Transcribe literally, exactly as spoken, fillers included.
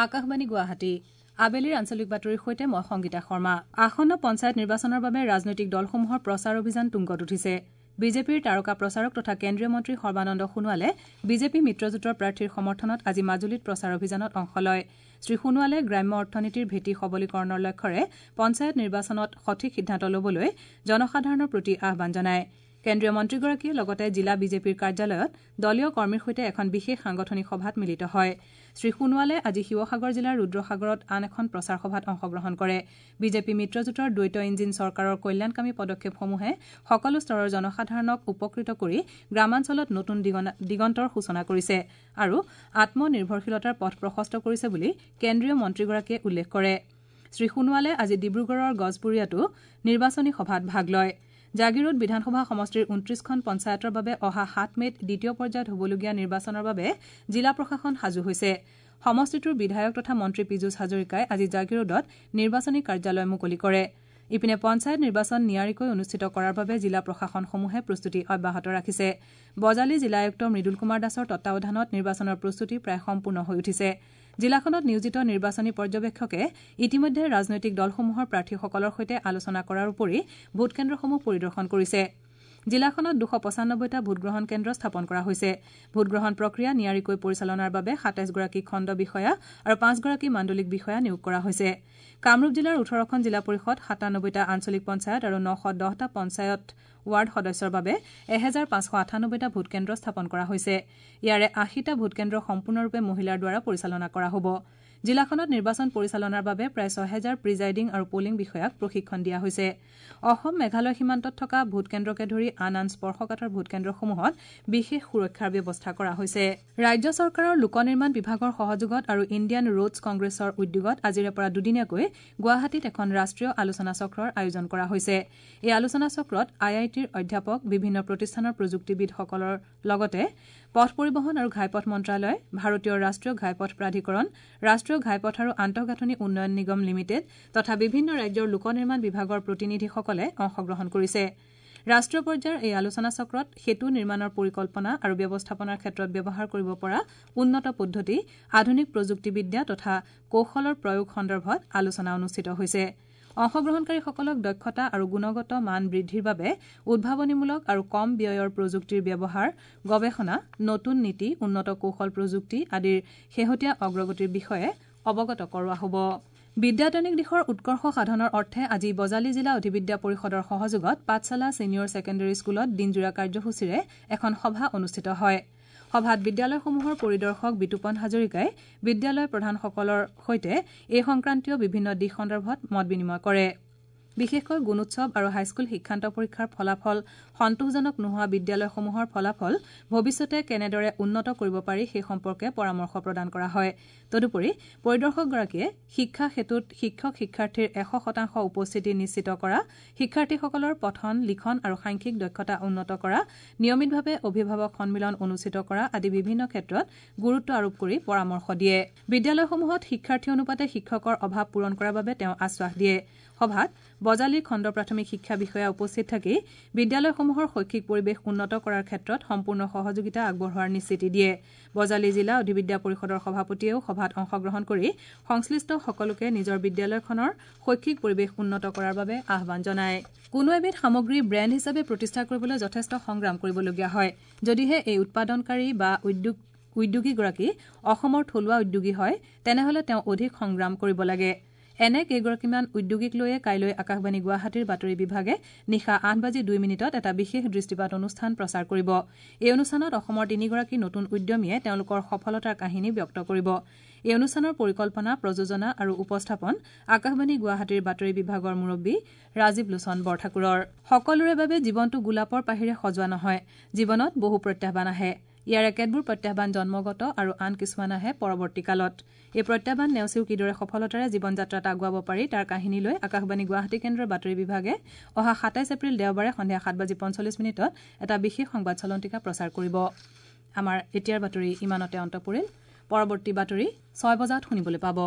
আকাশবাণী গুৱাহাটী আবেলিৰ আঞ্চলিক বাতৰিৰ সৈতে মই সংগীতা শৰ্মা। আসন্ন পঞ্চায়ত নিৰ্বাচনৰ বাবে ৰাজনৈতিক দলসমূহৰ প্ৰচাৰ অভিযান তুংগত উঠিছে। বিজেপিৰ তাৰকা প্ৰচাৰক তথা কেন্দ্ৰীয় মন্ত্ৰী সৰ্বানন্দ সোণোৱালে বিজেপি মিত্ৰজোঁটৰ প্ৰাৰ্থীৰ সমৰ্থনত আজি মাজুলীত প্ৰচাৰ অভিযানত অংশ লয়। শ্ৰী সোণোৱালে গ্ৰাম্য অৰ্থনীতিৰ ভেটি সবলীকৰণৰ লক্ষ্যৰে পঞ্চায়ত নিৰ্বাচনত সঠিক সিদ্ধান্ত ল'বলৈ জনসাধাৰণৰ প্ৰতি আহ্বান জনায়। কেন্দ্ৰীয় মন্ত্ৰীগৰাকীয়ে লগতে জিলা বিজেপিৰ কাৰ্যালয়ত দলীয় কৰ্মীৰ সৈতে এখন বিশেষ সাংগঠনিক সভাত মিলিত হয়। শ্ৰী সোণোৱালে আজি শিৱসাগৰ জিলাৰ ৰুদ্ৰসাগৰত আন এখন প্ৰচাৰ সভাত অংশগ্ৰহণ কৰে। বিজেপি মিত্ৰজোঁটৰ দ্বৈত ইঞ্জিন চৰকাৰৰ কল্যাণকামী পদক্ষেপসমূহে সকলো স্তৰৰ জনসাধাৰণক উপকৃত কৰি গ্ৰামাঞ্চলত নতুন দিগন্তৰ সূচনা কৰিছে আৰু আত্মনিৰ্ভৰশীলতাৰ পথ প্ৰশস্ত কৰিছে বুলি কেন্দ্ৰীয় মন্ত্ৰীগৰাকীয়ে উল্লেখ কৰে। শ্ৰী সোণোৱালে আজি ডিব্ৰুগড়ৰ গজপুৰীয়াতো নিৰ্বাচনী সভাত ভাগ লয়। জাগীৰোড বিধানসভা সমষ্টিৰ ঊনত্ৰিশখন পঞ্চায়তৰ বাবে অহা সাত মে'ত দ্বিতীয় পৰ্যায়ত হ'বলগীয়া নিৰ্বাচনৰ বাবে জিলা প্ৰশাসন সাজু হৈছে। সমষ্টিটোৰ বিধায়ক তথা মন্ত্ৰী পীযুষ হাজৰিকাই আজি জাগীৰোডত নিৰ্বাচনী কাৰ্যালয় মুকলি কৰে। ইপিনে পঞ্চায়ত নিৰ্বাচন নিয়াৰিকৈ অনুষ্ঠিত কৰাৰ বাবে জিলা প্ৰশাসনসমূহে প্ৰস্তুতি অব্যাহত ৰাখিছে। বজালী জিলা আয়ুক্ত মৃদুল কুমাৰ দাসৰ তত্বাৱধানত নিৰ্বাচনৰ প্ৰস্তুতি প্ৰায় সম্পূৰ্ণ হৈ উঠিছে। জিলাখনত নিয়োজিত নিৰ্বাচনী পৰ্যবেক্ষকে ইতিমধ্যে ৰাজনৈতিক দলসমূহৰ প্ৰাৰ্থীসকলৰ সৈতে আলোচনা কৰাৰ উপৰি ভোটকেন্দ্ৰসমূহ পৰিদৰ্শন কৰিছে। জিলাখনত দুশ পঁচানব্বৈটা ভোটগ্ৰহণ কেন্দ্ৰ স্থাপন কৰা হৈছে। ভোটগ্ৰহণ প্ৰক্ৰিয়া নিয়াৰিকৈ পৰিচালনাৰ বাবে সাতাইছগৰাকী খণ্ড বিষয়া আৰু পাঁচগৰাকী মাণ্ডলিক বিষয়া নিয়োগ কৰা হৈছে। কামৰূপ জিলাৰ ওঠৰখন জিলা পৰিষদ, সাতানব্বৈটা আঞ্চলিক পঞ্চায়ত আৰু নশ দহটা পঞ্চায়ত ৱাৰ্ড সদস্যৰ বাবে এহেজাৰ পাঁচশ আঠানব্বৈটা ভোটকেন্দ্ৰ স্থাপন কৰা হৈছে। ইয়াৰে আশীটা ভোটকেন্দ্ৰ সম্পূৰ্ণৰূপে মহিলাৰ দ্বাৰা পৰিচালনা কৰা হ'ব। জিলাখনত নিৰ্বাচন পৰিচালনাৰ বাবে প্ৰায় ছহেজাৰ প্ৰিজাইডিং আৰু পলিং বিষয়াক প্ৰশিক্ষণ দিয়া হৈছে। অসম মেঘালয় সীমান্তত থকা ভোটকেন্দ্ৰকে ধৰি আন আন স্পৰ্শকাতৰ ভোটকেন্দ্ৰসমূহত বিশেষ সুৰক্ষাৰ ব্যৱস্থা কৰা হৈছে। ৰাজ্য চৰকাৰৰ লোক নিৰ্মাণ বিভাগৰ সহযোগত আৰু ইণ্ডিয়ান ৰোডছ কংগ্ৰেছৰ উদ্যোগত আজিৰে পৰা দুদিনীয়াকৈ গুৱাহাটীত এখন ৰাষ্ট্ৰীয় আলোচনা চক্ৰৰ আয়োজন কৰা হৈছে। এই আলোচনা চক্ৰত আই আই টিৰ অধ্যাপক, বিভিন্ন প্ৰতিষ্ঠানৰ প্ৰযুক্তিবিদসকলৰ লগতে পথ পৰিবহণ আৰু ঘাইপথ মন্ত্ৰালয়, ভাৰতীয় ৰাষ্ট্ৰীয় ঘাইপথ প্ৰাধিকৰণ, ৰাষ্ট্ৰীয় ঘাইপথ আৰু আন্তঃগাঁথনি উন্নয়ন নিগম লিমিটেড তথা বিভিন্ন ৰাজ্যৰ লোক নিৰ্মাণ বিভাগৰ প্ৰতিনিধিসকলে অংশগ্ৰহণ কৰিছে। ৰাষ্ট্ৰীয় পৰ্যায়ৰ এই আলোচনা চক্ৰত সেতু নিৰ্মাণৰ পৰিকল্পনা আৰু ব্যৱস্থাপনাৰ ক্ষেত্ৰত ব্যৱহাৰ কৰিব পৰা উন্নত পদ্ধতি, আধুনিক প্ৰযুক্তিবিদ্যা তথা কৌশলৰ প্ৰয়োগ সন্দৰ্ভত আলোচনা অনুষ্ঠিত হৈছে। অংশগ্ৰহণকাৰীসকলক দক্ষতা আৰু গুণগত মান বৃদ্ধিৰ বাবে উদ্ভাৱনীমূলক আৰু কম ব্যয়ৰ প্ৰযুক্তিৰ ব্যৱহাৰ, গৱেষণা, নতুন নীতি, উন্নত কৌশল প্ৰযুক্তি আদিৰ শেহতীয়া অগ্ৰগতিৰ বিষয়ে অৱগত কৰোৱা হ'ব। বিদ্যায়তনিক দিশৰ উৎকৰ্ষ সাধনৰ অৰ্থে আজি বজালী জিলা অধিবিদ্যা পৰিষদৰ সহযোগত পাঠশালা ছিনিয়ৰ ছেকেণ্ডেৰী স্কুলত দিনজোৰা কাৰ্যসূচীৰে এখন সভা অনুষ্ঠিত হয়। সভাত বিদ্যালয়সমূহৰ পৰিদৰ্শক বিতুপন হাজৰিকাই বিদ্যালয় প্ৰধানসকলৰ সৈতে এই সংক্ৰান্তীয় বিভিন্ন দিশ সন্দৰ্ভত মত বিনিময় কৰে। বিশেষকৈ গুণোৎসৱ আৰু হাইস্কুল শিক্ষান্ত পৰীক্ষাৰ ফলাফল সন্তোষজনক নোহোৱা বিদ্যালয়সমূহৰ ফলাফল ভৱিষ্যতে কেনেদৰে উন্নত কৰিব পাৰি সেই সম্পৰ্কে পৰামৰ্শ প্ৰদান কৰা হয়। তদুপৰি পৰিদৰ্শকগৰাকীয়ে শিক্ষা সেতুত শিক্ষক শিক্ষাৰ্থীৰ এশ শতাংশ উপস্থিতি নিশ্চিত কৰা, শিক্ষাৰ্থীসকলৰ পঠন, লিখন আৰু সাংখ্যিক দক্ষতা উন্নত কৰা, নিয়মিতভাৱে অভিভাৱক সন্মিলন অনুষ্ঠিত কৰা আদি বিভিন্ন ক্ষেত্ৰত গুৰুত্ব আৰোপ কৰি পৰামৰ্শ দিয়ে। বিদ্যালয়সমূহত শিক্ষাৰ্থী অনুপাতে শিক্ষকৰ অভাৱ পূৰণ কৰাৰ বাবে তেওঁ আশ্বাস দিয়ে। সভাত বজালীৰ খণ্ড প্ৰাথমিক শিক্ষা বিষয়া উপস্থিত থাকি বিদ্যালয়সমূহৰ শৈক্ষিক পৰিৱেশ উন্নত কৰাৰ ক্ষেত্ৰত সম্পূৰ্ণ সহযোগিতা আগবঢ়োৱাৰ নিশ্চিতি দিয়ে। বজালী জিলা অধিবিদ্যা পৰিষদৰ সভাপতিয়েও সভাত অংশগ্ৰহণ কৰি সংশ্লিষ্ট সকলোকে নিজৰ বিদ্যালয়খনৰ শৈক্ষিক পৰিৱেশ উন্নত কৰাৰ বাবে আহ্বান জনায়। কোনো এবিধ সামগ্ৰী ব্ৰেণ্ড হিচাপে প্ৰতিষ্ঠা কৰিবলৈ যথেষ্ট সংগ্ৰাম কৰিবলগীয়া হয়। যদিহে এই উৎপাদনকাৰী বা উদ্যোগ উদ্যোগীগৰাকী অসমৰ থলুৱা উদ্যোগী হয়, তেনেহলে তেওঁ অধিক সংগ্ৰাম কৰিব লাগে। এনে কেইগৰাকীমান উদ্যোগীক লৈয়ে কাইলৈ আকাশবাণী গুৱাহাটীৰ বাতৰি বিভাগে নিশা আঠ বাজি দুই মিনিটত এটা বিশেষ দৃষ্টিপাত অনুষ্ঠান প্ৰচাৰ কৰিব। এই অনুষ্ঠানত অসমৰ তিনিগৰাকী নতুন উদ্যমীয়ে তেওঁলোকৰ সফলতাৰ কাহিনী ব্যক্ত কৰিব। এই অনুষ্ঠানৰ পৰিকল্পনা, প্ৰযোজনা আৰু উপস্থাপন আকাশবাণী গুৱাহাটীৰ বাতৰি বিভাগৰ মুৰব্বী ৰাজীৱ লোচন বৰঠাকুৰৰ। সকলোৰে বাবে জীৱনটো গোলাপৰ পাহিৰে সজোৱা নহয়। জীৱনত বহু প্ৰত্যাহ্বান আহে। ইয়াৰে কেতবোৰ প্ৰত্যাহ্বান জন্মগত আৰু আন কিছুমান আহে পৰৱৰ্তী কালত। এই প্ৰত্যাহ্বান নেওচিও কিদৰে সফলতাৰে জীৱন যাত্ৰাত আগুৱাব পাৰি তাৰ কাহিনী লৈ আকাশবাণী গুৱাহাটী কেন্দ্ৰৰ বাতৰি বিভাগে অহা সাতাইছ এপ্ৰিল দেওবাৰে সন্ধিয়া সাত বাজি পঞ্চল্লিছ মিনিটত এটা বিশেষ সংবাদ চলন্তিকা প্ৰচাৰ কৰিব। আমাৰ এতিয়াৰ বাতৰি ইমানতে অন্ত পৰিল। পৰৱৰ্তী বাতৰি ছয় বজাত শুনিবলৈ পাব।